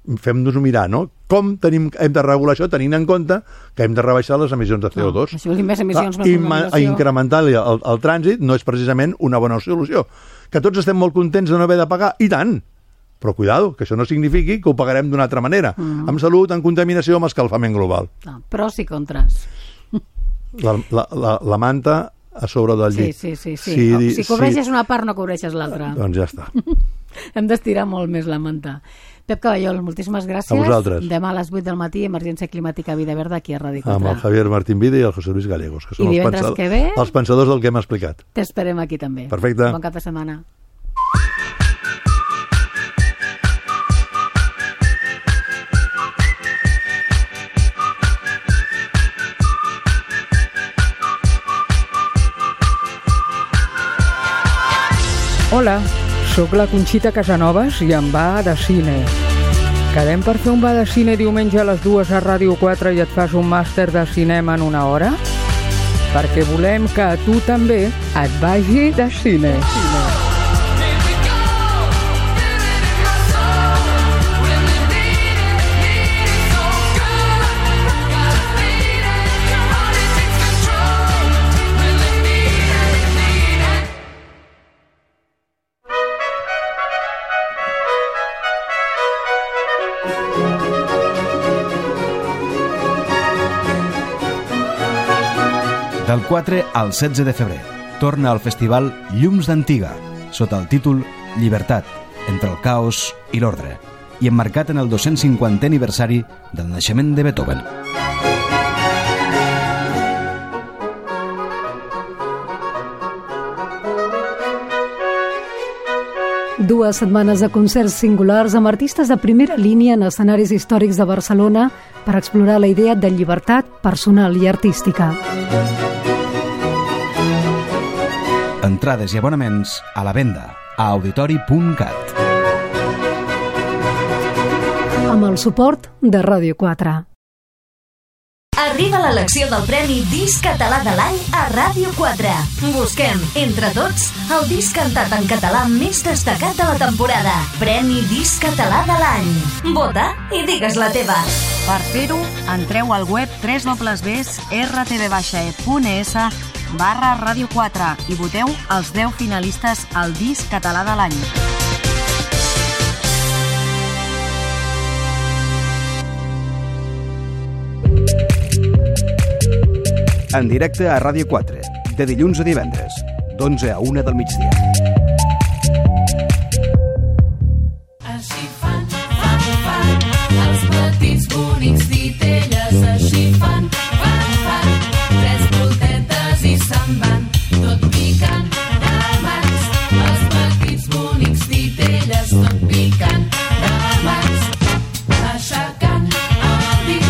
S6: Fem-nos-ho mirar, no? Com hem de regular això tenint en compte que hem de rebaixar les emissions de CO2.
S2: Això vol dir més emissions, més
S6: contaminació. Incrementar el trànsit no és precisament una bona solució. Que tots estem molt contents de no haver de pagar, i tant! Però cuidado, que això no signifiqui que ho pagarem d'una altra manera. Amb salut, en contaminació, amb escalfament global.
S2: Pros i contres.
S6: La manta a sobre del llit.
S2: Sí. Si cobreixes una part, no cobreixes l'altra.
S6: Doncs ja està.
S2: Hem d'estirar molt més la manta. Pep Caballol, moltíssimes gràcies.
S6: A vosaltres.
S2: Demà a les 8 del matí, Emergència Climàtica Vida Verda, aquí a Ràdio 4.
S6: Amb el Javier Martín Vide i el José Luis Gallegos, que són els pensadors del que hem explicat.
S2: T'esperem aquí també.
S6: Perfecte.
S2: Bon cap de setmana.
S7: Hola, sóc la Conxita Casanovas i em va de cine. Quedem per fer un va de cine diumenge a les 2 a Ràdio 4 i et fas un màster de cinema en una hora? Perquè volem que a tu també et vagi de cine.
S1: Del 4 al 16 de febrer torna al festival Llums d'Antiga, sota el títol Llibertat, entre el caos i l'ordre, i emmarcat en el 250è aniversari del naixement de Beethoven.
S8: Dues setmanes de concerts singulars amb artistes de primera línia en escenaris històrics de Barcelona per explorar la idea de llibertat personal i artística.
S1: Entrades i abonaments a la venda a auditori.cat.
S8: Amb el suport de Ràdio 4.
S9: Arriba l'elecció del Premi Disc Català de l'Any a Ràdio 4. Busquem, entre tots, el disc cantat en català més destacat de la temporada. Premi Disc Català de l'Any. Vota i digues la teva.
S10: Per fer-ho, entreu al web www.rtv-es.es/Ràdio 4 i voteu els 10 finalistes al disc català de l'any.
S1: En directe a Ràdio 4, de dilluns a divendres, d'11 a 1 del migdia.
S5: Així fan els petits bonics titelles, així fan, tres voltetes i se'n van, tot picant de mans, els petits bonics titelles, tot picant de mans, aixecant el dit,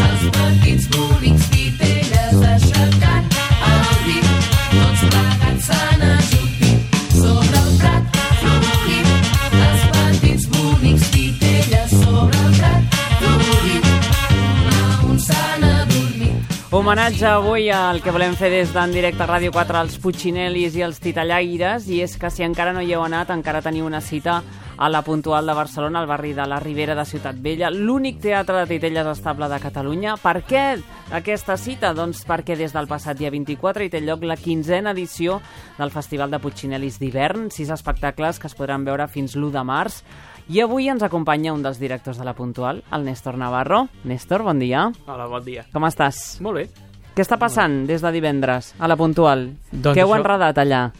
S5: els petits bonics titelles, aixecant el dit, tots plegats s'han ajupit sobre el prat florit, els petits bonics titelles sobre el prat florit, un a un s'han adormit.
S11: Homenatge avui al que volem fer des d'en directe a Ràdio 4 als Puccinelis i als Titellaires, i és que si encara no hi heu anat, encara teniu una cita a la Puntual de Barcelona, al barri de la Ribera de Ciutat Vella, l'únic teatre de titelles estable de Catalunya. Per què aquesta cita? Doncs perquè des del passat dia 24 hi té lloc la 15a edició del Festival de Puccinelis d'hivern, 6 espectacles que es podran veure fins l'1 de març. I avui ens acompanya un dels directors de la Puntual, el Néstor Navarro. Néstor, bon dia.
S12: Hola, bon dia.
S11: Com estàs?
S12: Molt bé.
S11: Què està passant des de divendres a la Puntual?
S12: Doncs
S11: què heu enredat allà?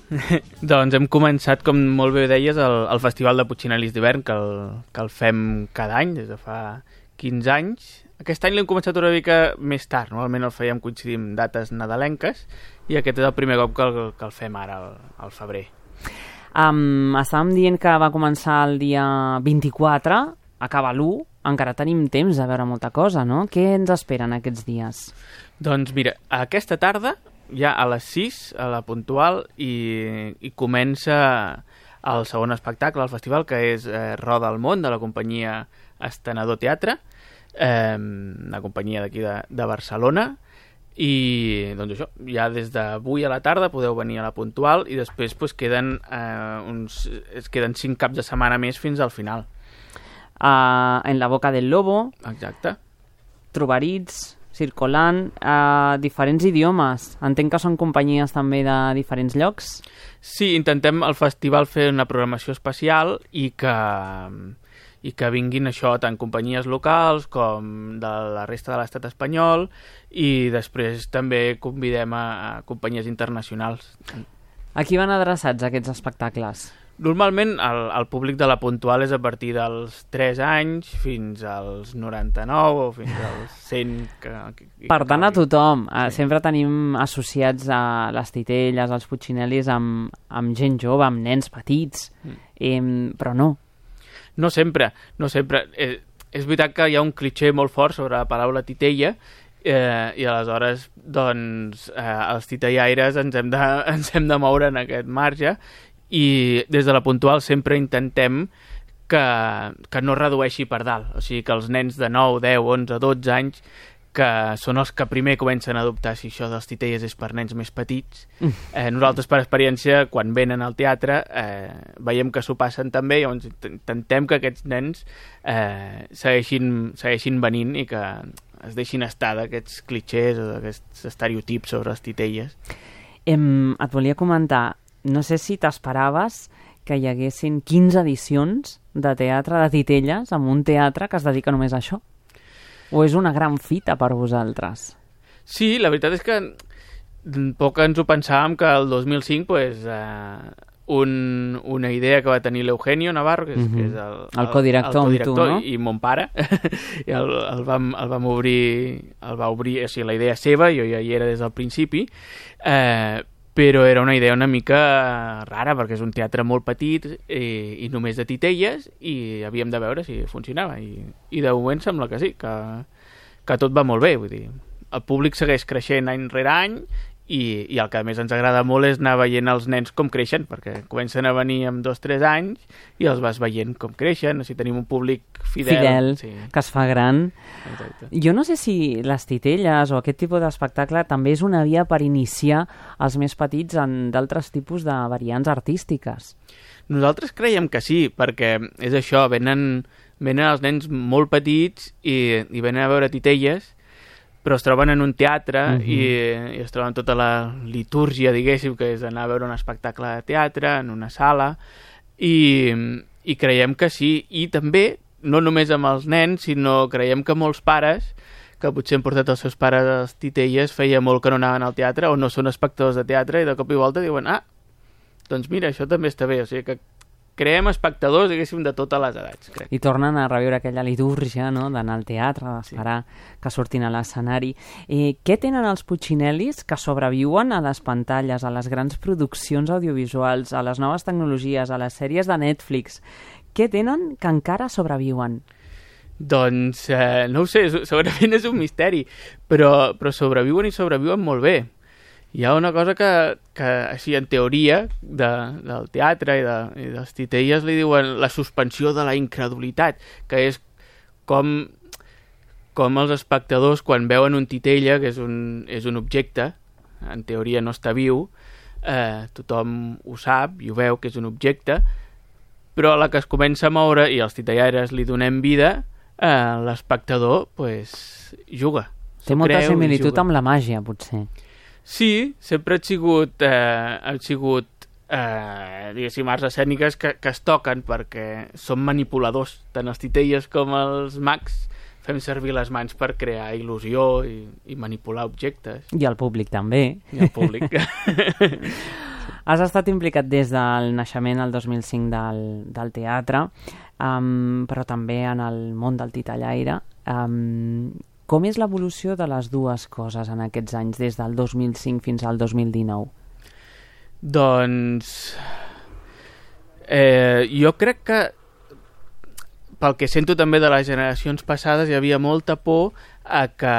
S12: Doncs hem començat, com molt bé deies, el Festival de Puccinelis d'hivern, que el fem cada any, des de fa 15 anys. Aquest any l'hem començat una mica més tard, normalment el fèiem coincidint dates nadalenques, i aquest és el primer cop que el fem ara, al febrer.
S11: Estàvem dient que va començar el dia 24, acaba l'1, encara tenim temps de veure molta cosa, no? Què ens esperen aquests dies?
S12: Doncs mira, aquesta tarda, ja a les 6, a la Puntual, i comença el segon espectacle del festival, que és Roda al món, de la companyia Estenedor Teatre, una companyia d'aquí de Barcelona, i doncs això, ja des d'avui a la tarda podeu venir a la Puntual, i després pues, queden 5 caps de setmana més fins al final.
S11: En la boca del lobo.
S12: Exacte.
S11: Trobarits, circulant, diferents idiomes. Entenc que són companyies també de diferents llocs.
S12: Sí, intentem al festival fer una programació especial i que vinguin això, tant companyies locals com de la resta de l'estat espanyol, i després també convidem a companyies internacionals.
S11: A qui van adreçats aquests espectacles?
S12: Normalment el públic de la Puntual és a partir dels 3 anys fins als 99 o fins als 100.
S11: Per tant, a tothom. Sempre tenim associats a les titelles, als Puccinellis, amb gent jove, amb nens petits, però no.
S12: No sempre. És veritat que hi ha un clitxé molt fort sobre la paraula titella, i aleshores doncs els titellaires ens hem de moure en aquest marge, i des de la Puntual sempre intentem que no redueixi per dalt, o sigui que els nens de 9, 10, 11, 12 anys, que són els que primer comencen a dubtar si això dels titelles és per nens més petits. Nosaltres, per experiència, quan venen al teatre, veiem que s'ho passen també, llavors intentem que aquests nens segueixin venint i que es deixin estar d'aquests clitxers o d'aquests estereotips sobre les titelles.
S11: Et volia comentar, no sé si t'esperaves que hi haguessin 15 edicions de teatre de titelles en un teatre que es dedica només a això? O és una gran fita per vosaltres?
S12: Sí, la veritat és que poc ens ho pensàvem que el 2005 pues, una idea que va tenir l'Eugenio Navarro, que és
S11: el codirector amb tu, no?
S12: I mon pare, i el va obrir, o sigui, la idea seva, jo ja hi era des del principi, però era una idea una mica rara, perquè és un teatre molt petit i només de titelles, i havíem de veure si funcionava, i de moment sembla que sí, que tot va molt bé, vull dir, el públic segueix creixent any rere any, i el que més ens agrada molt és anar veient els nens com creixen, perquè comencen a venir amb 2 o 3 anys i els vas veient com creixen, si tenim un públic fidel sí.
S11: Que es fa gran.
S12: Exacte.
S11: Jo no sé si les titelles o aquest tipus d'espectacle també és una via per iniciar els més petits en d'altres tipus de variants artístiques.
S12: Nosaltres creiem que sí, perquè és això, venen els nens molt petits i venen a veure titelles, però es troben en un teatre i es troben tota la litúrgia, diguéssim, que és anar a veure un espectacle de teatre en una sala, i creiem que sí, i també, no només amb els nens, sinó creiem que molts pares, que potser han portat els seus pares a les titelles, feia molt que no anaven al teatre, o no són espectadors de teatre, i de cop i volta diuen, doncs mira, això també està bé, o sigui que creem espectadors, diguéssim, de totes les edats, crec.
S11: I tornen a reviure aquella litúrgia, no?, d'anar al teatre, d'esperar que surtin a l'escenari. Què tenen els Puccinellis que sobreviuen a les pantalles, a les grans produccions audiovisuals, a les noves tecnologies, a les sèries de Netflix? Què tenen que encara sobreviuen?
S12: Doncs, no ho sé, segurament és un misteri, però sobreviuen i sobreviuen molt bé. Hi ha una cosa que així, en teoria, del teatre i de les titelles li diuen la suspensió de la incredulitat, que és com els espectadors, quan veuen un titella, que és un objecte, en teoria no està viu, tothom ho sap i ho veu que és un objecte, però a la que es comença a moure i els titellaires li donem vida, l'espectador pues, juga.
S11: Té molta similitud amb la màgia, potser.
S12: Sí, sempre han sigut diguéssim, arts escèniques que es toquen perquè són manipuladors, tant els titelles com els mags fem servir les mans per crear il·lusió i manipular objectes.
S11: I el públic també.
S12: I el públic.
S11: Has estat implicat des del naixement, el 2005, del teatre, però també en el món del titellaire. Com és l'evolució de les dues coses en aquests anys, des del 2005 fins al 2019?
S12: Doncs jo crec que pel que sento també de les generacions passades hi havia molta por a que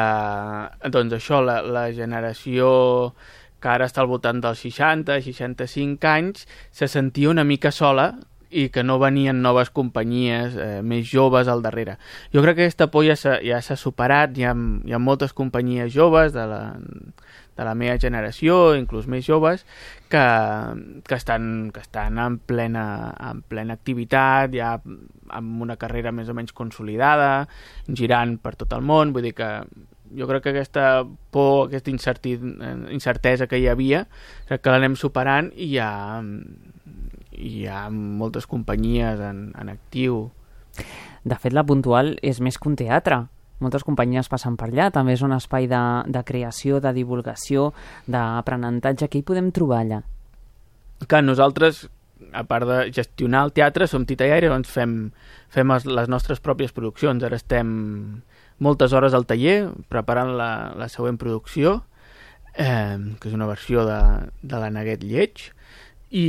S12: doncs això, la generació que ara està al voltant dels 60-65 anys se sentia una mica sola i que no venien noves companyies més joves al darrere. Jo crec que aquesta por ja s'ha superat, hi ha moltes companyies joves de la meva generació, inclús més joves, que estan en plena activitat, ja amb una carrera més o menys consolidada, girant per tot el món, vull dir que jo crec que aquesta por, aquesta incertesa que hi havia, crec que l'anem superant i hi ha moltes companyies en actiu.
S11: De fet, la Puntual és més que un teatre. Moltes companyies passen per allà. També és un espai de creació, de divulgació, d'aprenentatge. Què hi podem trobar allà?
S12: Que nosaltres a part de gestionar el teatre, som Tita i Aire, doncs fem les nostres pròpies produccions. Ara estem moltes hores al taller preparant la següent producció, que és una versió de la Neguet Lleig, i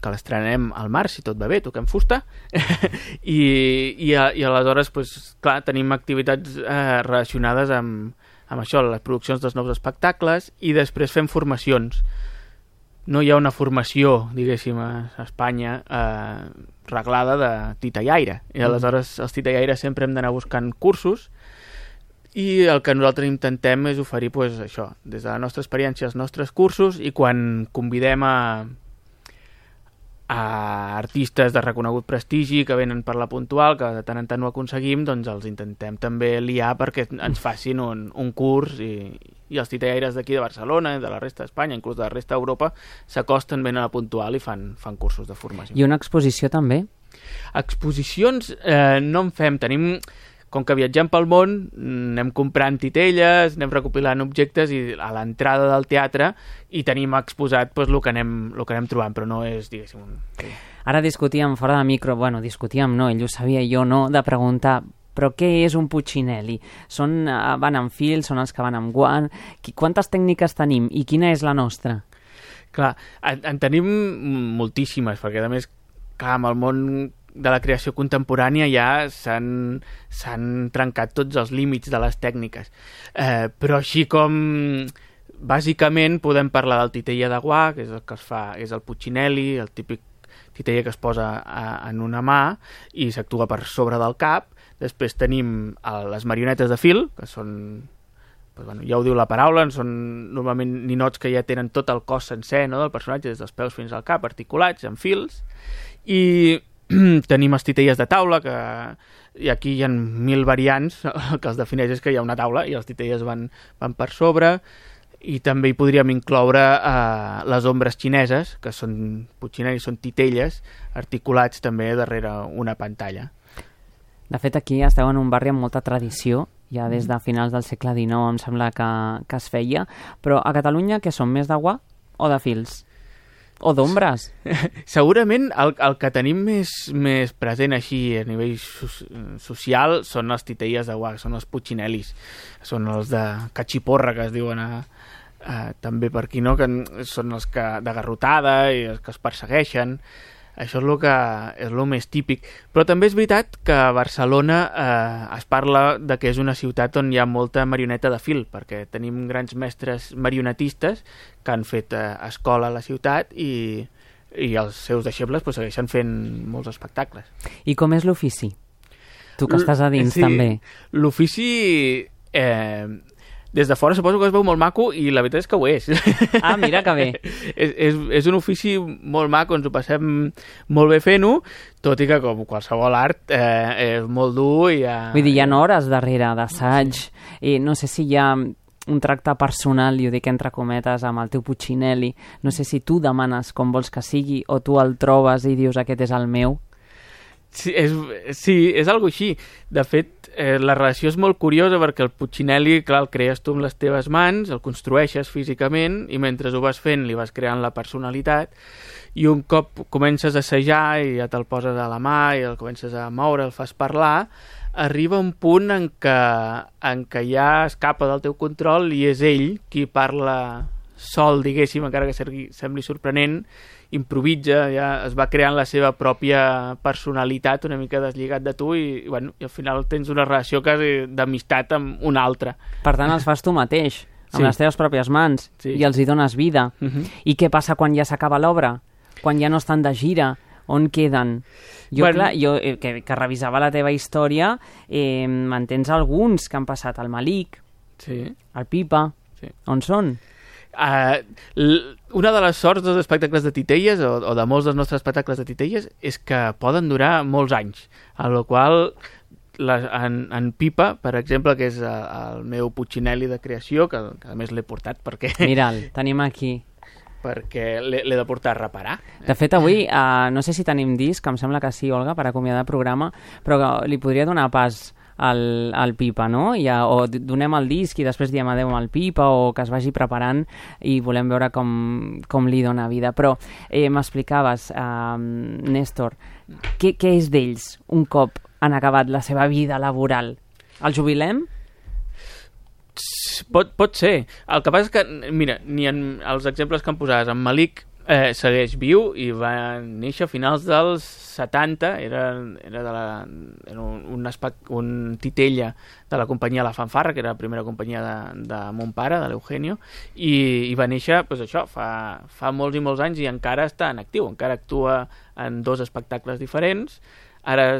S12: que l'estrenem al març, si tot va bé, toquem fusta, i aleshores, clar, tenim activitats relacionades amb això, les produccions dels nous espectacles, i després fem formacions. No hi ha una formació, diguéssim, a Espanya reglada de Tita i Aire, i aleshores els Tita i Aire sempre hem d'anar buscant cursos, i el que nosaltres intentem és oferir això, des de la nostra experiència, els nostres cursos, i quan convidem a artistes de reconegut prestigi que venen per la Puntual, que de tant en tant ho aconseguim, doncs els intentem també liar perquè ens facin un curs, i els Tita i Aires d'aquí de Barcelona, de la resta d'Espanya, inclús de la resta d'Europa, s'acosten ben a la Puntual i fan cursos de formació.
S11: I una exposició també?
S12: Exposicions no en fem, tenim... Com que viatgem pel món, anem comprant titelles, anem recopilant objectes i a l'entrada del teatre i tenim exposat el que anem trobant, però no és, diguéssim...
S11: Ara discutíem fora de micro, discutíem no, ell ho sabia, jo no, de preguntar però què és un Puccinelli? Van amb fil, són els que van amb guant? Quantes tècniques tenim i quina és la nostra?
S12: Clar, en tenim moltíssimes, perquè a més, clar, amb el món de la creació contemporània ja s'han trencat tots els límits de les tècniques. Però així com bàsicament podem parlar del titella de guà, que és el que es fa, és el Puccinelli, el típic titella que es posa en una mà i s'actua per sobre del cap. Després tenim les marionetes de fil, que són, ja ho diu la paraula, són normalment ninots que ja tenen tot el cos sencer, no, del personatge, des dels peus fins al cap, articulats, amb fils, i tenim els titelles de taula, i aquí hi ha 1000 variants, el que els defineix és que hi ha una taula i els titelles van per sobre, i també hi podríem incloure les ombres xineses, que són Puccinelli, són titelles articulats també darrere una pantalla.
S11: De fet, aquí esteu en un barri amb molta tradició, ja des de finals del segle XIX em sembla que es feia, però a Catalunya què són, més de guà o de fils? O d'ombres?
S12: Segurament el que tenim més present així a nivell social són els titelles de guà, són els Puccinellis, són els de catxiporra, que es diuen també per aquí, no? Que són els de garrotada i els que es persegueixen. Això és el més típic. Però també és veritat que a Barcelona es parla de que és una ciutat on hi ha molta marioneta de fil, perquè tenim grans mestres marionetistes que han fet escola a la ciutat i els seus deixebles segueixen fent molts espectacles.
S11: I com és l'ofici? Tu que estàs a dins, també.
S12: L'ofici... des de fora suposo que es veu molt maco i la veritat és que ho és.
S11: Ah, mira que bé.
S12: És un ofici molt maco, ens ho passem molt bé fent-ho, tot i que com qualsevol art és molt dur i
S11: Vull dir, hi ha hores darrere d'assaig, i no sé si hi ha un tracte personal, i ho dic entre cometes, amb el teu Puccinelli. No sé si tu demanes com vols que sigui o tu el trobes i dius aquest és el meu.
S12: Sí, és algo així. De fet, la relació és molt curiosa perquè el Puccinelli, clar, el crees tu amb les teves mans, el construeixes físicament i mentre ho vas fent li vas creant la personalitat i un cop comences a assajar i ja te'l poses a la mà i el comences a moure, el fas parlar, arriba un punt en què ja escapa del teu control i és ell qui parla sol, diguéssim, encara que sembli sorprenent, improvisa, ja es va creant la seva pròpia personalitat una mica deslligat de tu i al final tens una relació quasi d'amistat amb un altre.
S11: Per tant, els fas tu mateix, amb les teves pròpies mans, i els hi dones vida. I què passa quan ja s'acaba l'obra? Quan ja no estan de gira? On queden? Jo que revisava la teva història, me'n tens alguns que han passat al Malik, al Pipa. On són?
S12: Una de les sorts dels espectacles de titelles o de molts dels nostres espectacles de titelles és que poden durar molts anys, a la qual en Pipa, per exemple, que és el meu Puccinelli de creació, que a més l'he portat perquè...
S11: Mira'l, tenim aquí.
S12: Perquè l'he de portar a reparar.
S11: De fet, avui, no sé si tenim disc, em sembla que sí, Olga, per acomiadar el programa, però li podria donar pas el Pipa, no? O donem el disc i després diem adeu al Pipa, o que es vagi preparant i volem veure com li dona vida. Però m'explicaves, Néstor, què és d'ells un cop han acabat la seva vida laboral? El jubilem?
S12: Pot ser. El que passa és que, mira, ni en els exemples que em posaves, en Malik segueix viu i va néixer a finals dels 70, era un titella de la companyia La Fanfarra, que era la primera companyia de mon pare, de l'Eugenio, i va néixer, doncs això, fa molts i molts anys, i encara està en actiu, encara actua en 2 espectacles diferents. Ara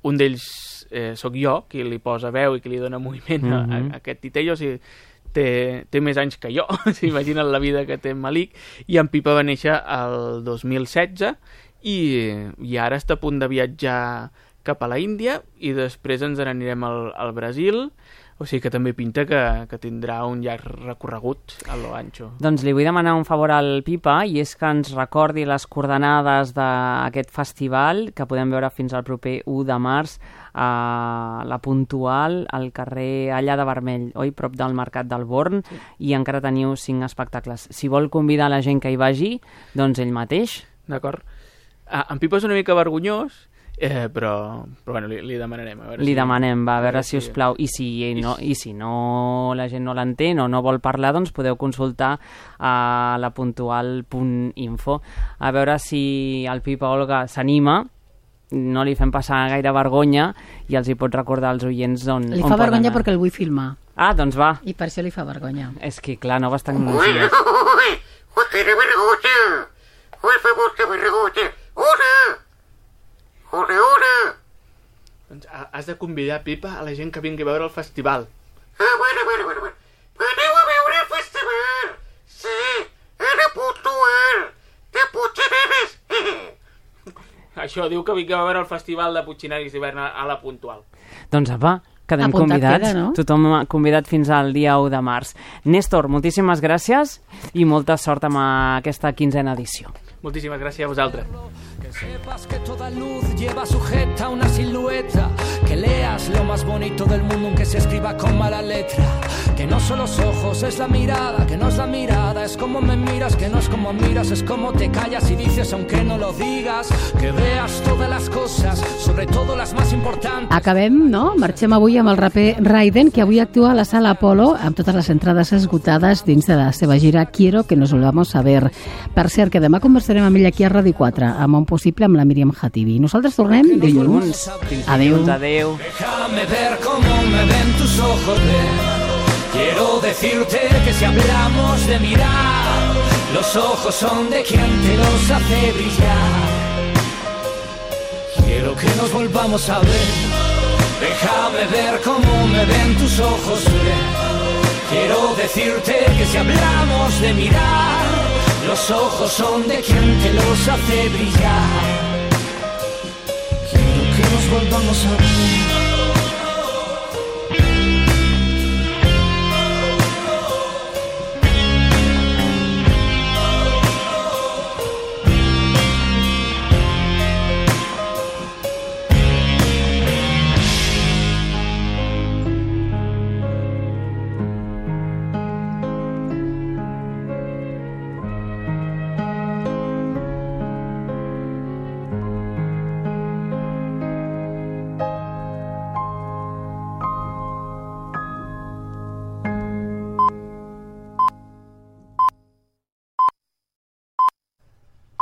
S12: un d'ells sóc jo, qui li posa veu i qui li dona moviment a aquest titella, o sigui, té més anys que jo, s'imaginen la vida que té en Malik, i en Pipa va néixer el 2016 i ara està a punt de viatjar cap a la Índia i després ens n'anirem al Brasil, o sigui que també pinta que tindrà un llarg recorregut a lo ancho.
S11: Doncs li vull demanar un favor al Pipa, i és que ens recordi les coordenades d'aquest festival, que podem veure fins al proper 1 de març a la Puntual, al carrer Allà de Vermell, prop del Mercat del Born, i encara teniu 5 espectacles. Si vol convidar la gent que hi vagi, doncs ell mateix.
S12: D'acord. En Pipa és una mica vergonyós, però bueno, li demanarem.
S11: Demanem, a veure si us plau. I si no la gent no l'entén o no vol parlar, doncs podeu consultar a lapuntual.info. A veure si el Pipa Olga s'anima, no li fem passar gaire vergonya i els hi pot recordar als oients on
S2: li fa vergonya perquè el vull filmar.
S11: Doncs va.
S2: I per això li fa vergonya.
S11: És que, clar, noves tecnologies.
S12: Doncs has de convidar, Pipa, a la gent que vingui a veure el festival.
S13: Bueno. Aneu a veure el festival. Sí, era puntual. De Puigneres.
S12: Això diu que vinguem a veure el festival de Puigneres d'hivern a la Puntual.
S11: Doncs apa, quedem convidats. Queda, no? Tothom convidat fins al dia 1 de març. Néstor, moltíssimes gràcies i molta sort amb aquesta 15ª edició.
S12: Moltíssimas gracias a vosaltres.
S14: Que sepas que toda luz lleva sujeta una silueta, que leas lo más bonito del mundo aunque se escriba con mala letra, que no son los ojos, es la mirada, que no es la mirada, es como me miras, que no es como miras, es como te callas y dices aunque no lo digas, que veas todas las cosas, sobre todo las más importantes.
S2: Acabem, no? Marxem avui amb el raper Raiden, que avui actua a la Sala Apolo amb totes les entrades esgotades dins de la seva gira Quiero que nos volvamos a ver. Per cert, que demà conversarem amb ell aquí a Ràdio 4, amb un possible amb la Míriam Khatibi. Nosaltres tornem dilluns. Adéu.
S11: Adéu.
S14: Déjame ver cómo me ven tus ojos, quiero decirte que si hablamos de mirar, los ojos son de quien te los hace brillar. Quiero que nos volvamos a ver. Déjame ver cómo me ven tus ojos, quiero decirte que si hablamos de mirar, los ojos son de quien te los hace brillar. Quiero que nos volvamos a ver.